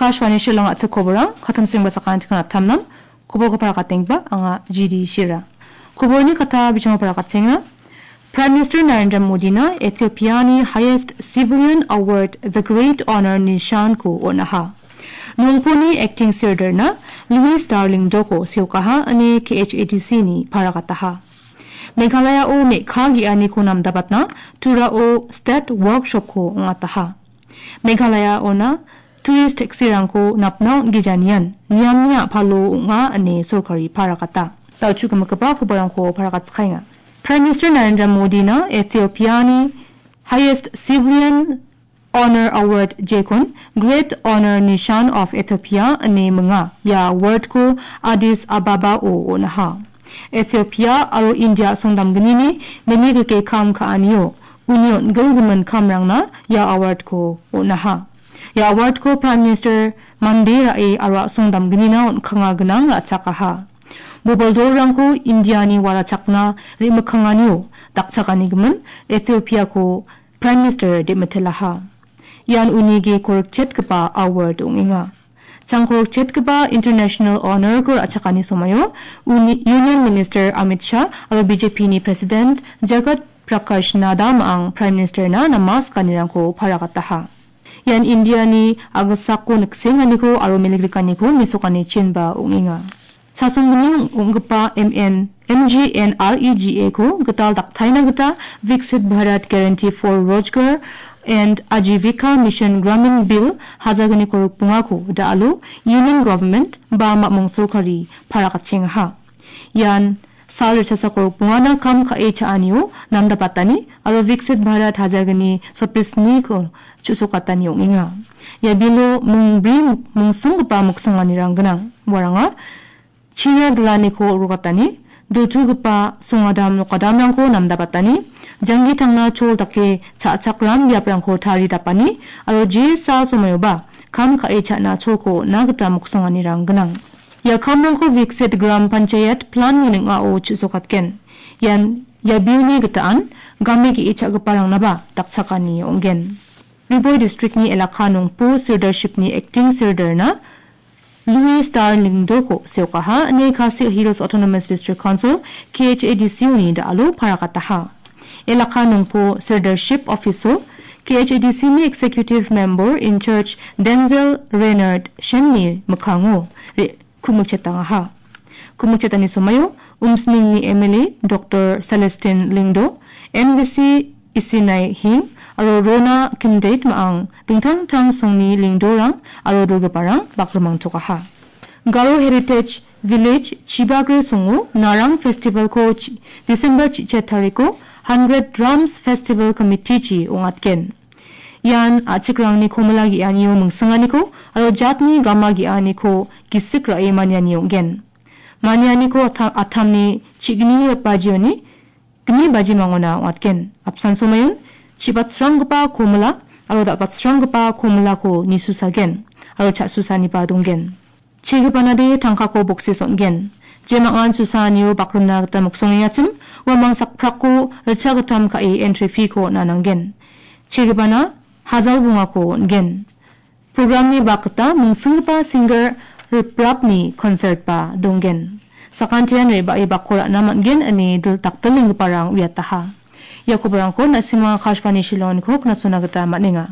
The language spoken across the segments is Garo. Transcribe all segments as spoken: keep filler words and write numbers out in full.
Akashvani Shillong a·chik koborang, katamsingba sakantikon attamnam, koborko parakatengba, anga G D Shira. Koborni kata bijango parakatsenga. Prime Minister Narendra Modina Ethiopiani highest civilian award, the Great Honor Nishan-ko on·aha. Nongponi acting sirdarna Louis Darlingdoko seokaha ine K H A D C-ni parakataha. Meghalayao me·ka ge·aniko namdabatna Turao State Workshop-ko ong·ataha. Meghalaya ona tourist taxi-rangko napna on·gijanian niamni a·palo ong·a ine sorkari parakata. Dal·chuk gimikgipa koborangko parakatskaenga. Prime Minister Narendra Modina Ethiopiani highest civilian Honor Award jekon Great Honor Nishan of Ethiopia ine minga. Ia award-ko Addis Ababa-o on·aha. Ethiopia aro India songdamgnini meni rike kam ka·anio uni on·gilgimin kamrangna ia award-ko on·aha. Ia award-ko Prime Minister mande ra·e aro a·songdamgnina on·kanga gnang ra·chakaha. Bobil dolrangko Indiani warachakna re·mikkanganio dakchakanigimin Ethiopia-ko Prime Minister de·mitilaha. Ian uni ge korikchetgipa award ong·enga. Chang korikchetgipa International Honor-ko ra·chakani somoio uni Union Minister Amit Shah aro B J P-ni President Jagat Prakash Nadda ma·ang Prime Minister-na namaskanirangko parakataha. Ian Indiani a·gisako niksenganiko aro milikrikaniko mesokani chinba ong·enga. Chasongni ong·gipa M N, M G N R E G A-ko gital daktaina gita Viksit Bharat Guarantee for Rojgar and Ajivika Mission Gramin Bill hajalgniko rikbongako da·alo Union Government ba mamung sorkari parakatchengaha. Ian sal ritchasako rikbongana kam ka·e cha·anio namdabatani aro Viksit Bharat hajalgni sotbrisniko chu·sokatani ong·enga. Ia bilo mingbri mungsonggipa miksonganirang gnang. Uaranga China gilaniko rokatani, dultugipa songadam nokadamrangko namdabatani, janggi tangna chol dake cha·chakram biaprangko taridapani, aro jesa somoioba kam ka·e cha·na cholko on·na gita miksonganirang gnang. Ia kamrangko Viksit Gram Panchayat Plan-ni ning·ao chu·sokatgen. Ian ia bilni gitaan game ge·e cha·giparangnaba dakchakani ong·gen. Ri Bhoi District-ni Elaka Nongpo Sirdarship-ni Acting Sirdarna Louis Star Lyngdoh-ko seokaha ine Khasi Hills Autonomous District Council, K H A D C-oni da·alo parakataha. Elaka Nongpo Sirdarship Office-o K H A D C-ni Executive Member in Charge Denzel Renard Shen-ni mikkango re-, kumikchetangaha. Kumikchetani somoio Umsningni M L A Doctor Celestine Lyngdoh, M D C Isinai Hing aro Rona Kimdeit ma·ang dingtang dingtang songni Lyngdohrang aro dilgiparang bakrimangtokaha. Garo Heritage Village Chibagre songo Narang Festival-ko chi-, December chi-, chet tariko Hundred Drums Festival Committee-chi ong·atgen. Ian a·chikrangni komila ge·anio mingsinganiko aro jatni gama ge·aniko gisik ra·e maniani ong·gen. Manianiko ata-, atamni chi-, gni bajioni gni bajimangona ong·atgen. Apsan somoion chibatsranggipa komila aro dal·batsranggipa komilako nisusagen aro cha·susaniba donggen. Chegipanade tangkako boksis on·gen. Jemangan susaanio bakrimna gita miksongengachim, uamang sakprako ritchagittam ka·e entry fee-ko on·a nanggen. Chegipana hajal bongako on·gen. Programni bak gita mingsinggipa singer riprapni concert-ba donggen. Sakantian re·bae bakko ra·na man·gen ine dil-, dakdilenggiparang uiataha. Ia koborangko na·simang Akashvani Shillong-niko knasona gita man·enga.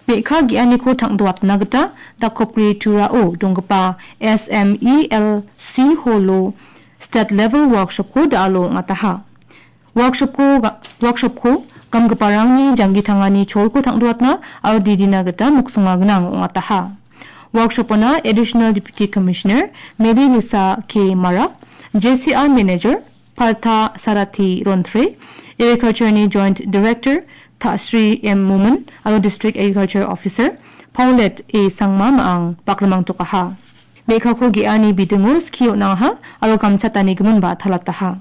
Me·ka ge·aniko tang·doatna gita Dakopgre Turao donggipa S M E L C Hall-o State Level Workshop-ko da·alo ong·ataha. Workshop-ko ga-, workshop-ko gamgiparangni janggi tangani cholko tang·doatna aro didina gita miksonga gnang ong·ataha. Workshop-ona Additional Deputy Commissioner Mary Lisa K Marak, J C R Manager Partha Sarathi Rontre, Agriculture-ni Joint Director Ta-, Sri M Momin aro District Agriculture Officer Paulette A Sangma ma·ang bakrimangtokaha. Me·kako ge·ani bidingo skie on·angaha aro gamchatanigiminba talataha.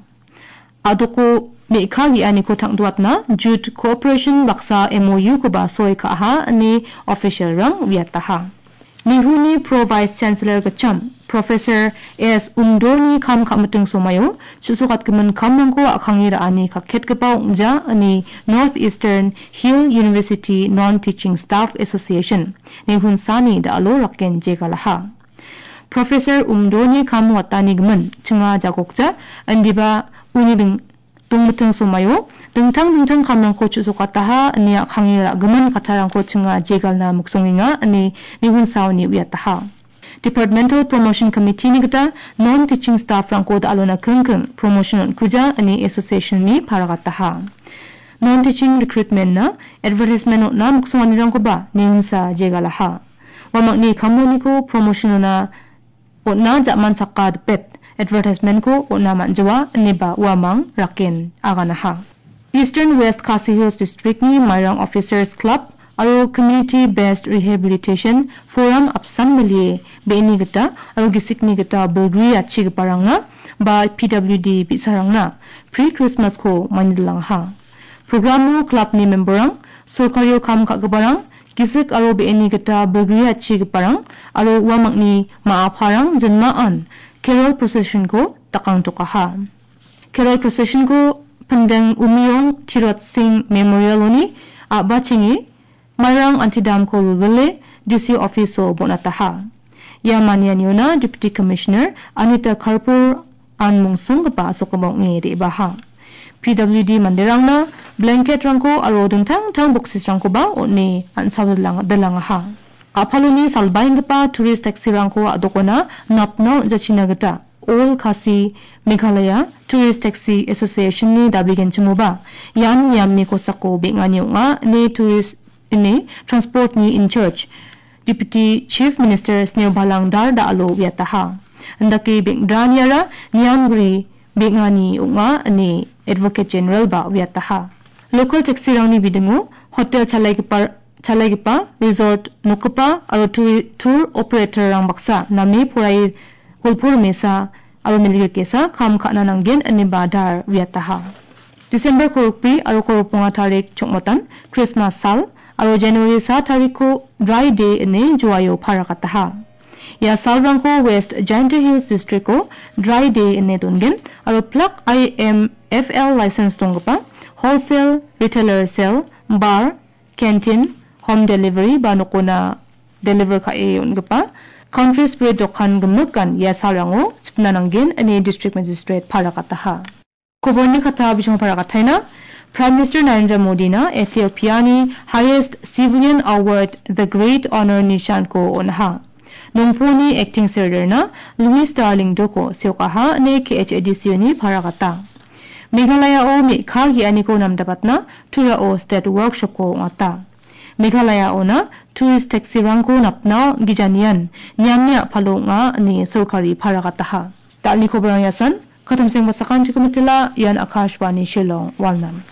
A·doko me·ka ge·aniko tang·doatna Jute Cooperation baksa M O U-koba soi ka·aha ine official-rang uiataha. Nehuni Pro Vice Chancellor gitcham Professor S Umdoni kam ka·miting somaio chu·sokatgimin kamrangko a·kange ra·ani kaketgipa ong·ja ine North Eastern Hill University Non-Teaching Staff Association, Nehunsani da·alo raken jegalaha. Professor Umdoni kam watanigimin chinga jagokja, indiba uni ding-, dongmiting somaio dingtang dingtang kamrangko chu·sokataha ine a·kange ra·gimin kattarangko chinga jegalna miksongenga ine Nihunsaoni uiataha. Departmental Promotion Committee-ni gita non-teaching staff-rangko da·alona kingking promotion on·kuja ine association-ni paragataha. Non-teaching recruitment-na advertisement on·na miksonganirangkoba Nihunsa jegalaha. Uamangni kammoniko promotion ona on·na ja·manchaka dipet advertisement-ko on·na man·jawa ineba uamang raken aganaha. Eastern West Khasi Hills District-ni Mairang Officers Club aro Community Based Rehabilitation Forum apsan milie be·eni gita aro gisikni gita bilgri achigiparangna ba P W D bi·sarangna pre-Christmas-ko manidilangaha. Programo club-ni member-rang, sorkario kam ka·giparang, gisik aro be·eni gita bilgri achigiparang aro uamangni ma·aparang jinmaan carol procession-ko dakangtokaha. Carol procession-ko Pindeng Umiong Tirot Singh Memorial-oni a·bachenge Mairang antidamko wilwile D C office-o bon·ataha. Ia manianiona Deputy Commissioner Anita Karpur an mongsonggipa asokgipa ong·e re·baha. P W D manderangna blanket-rangko aro dingtang dingtang boxes-rangkoba on·e an·sao dilang-, dilangaha. A·paloni salbaenggipa tourist taxi-rangko a·dokona napna on·jachina gita All Khasi Meghalaya Tourist Taxi Association-ni dabegenchimoba ian niamni kosako beng·ani ong·a ine tourist ine Transport-ni in charge Deputy Chief Minister Sneobalang Dhar da·alo uiataha. Indake beng·draniara niamgri beng·ani ong·a ine Advocate General-ba uiataha. Local taxi-rangni bidingo hotel chalaigipa-, chalaigipa, resort nokgipa aro tour, tour operator-rang baksa name poraie golpo rimesa aro milik rikesa kam ka·na nanggen ineba Dhar uiataha. December korokbri aro korokponga tarik chongmatan Christmas sal aro January sa tarikko Dry Day ine Joaio paragataha. Ia salrangko West Jaintia Hills District-o Dry Day ine dongen aro plak I M F L license donggipa wholesale, retailer sale, bar, canteen, home delivery ba nokona deliver ka·e on·gipa Country Spirit dokan gimikan ia salrango chipna nanggen ine District Magistrate paragataha. Koborni kata bisong paragataina, Prime Minister Narendra Modina Ethiopia-ni highest civilian award, the Great Honor Nishan-ko on·aha. Nongponi acting secretary-na Louis Darling Doko seokaha ine K H A D C-oni paragata. Meghalaya-o me·ka ge·aniko namdapatna Turao State Workshop-ko ong·ata. Meghalaya-ona tourist taxi-rangko napna gijanian niamni a·palo ong·a ine sorkari paragataha. Dalni koborang iasan, katamseng basakan chikomitila, ian Akashvani Shillong, Walnam.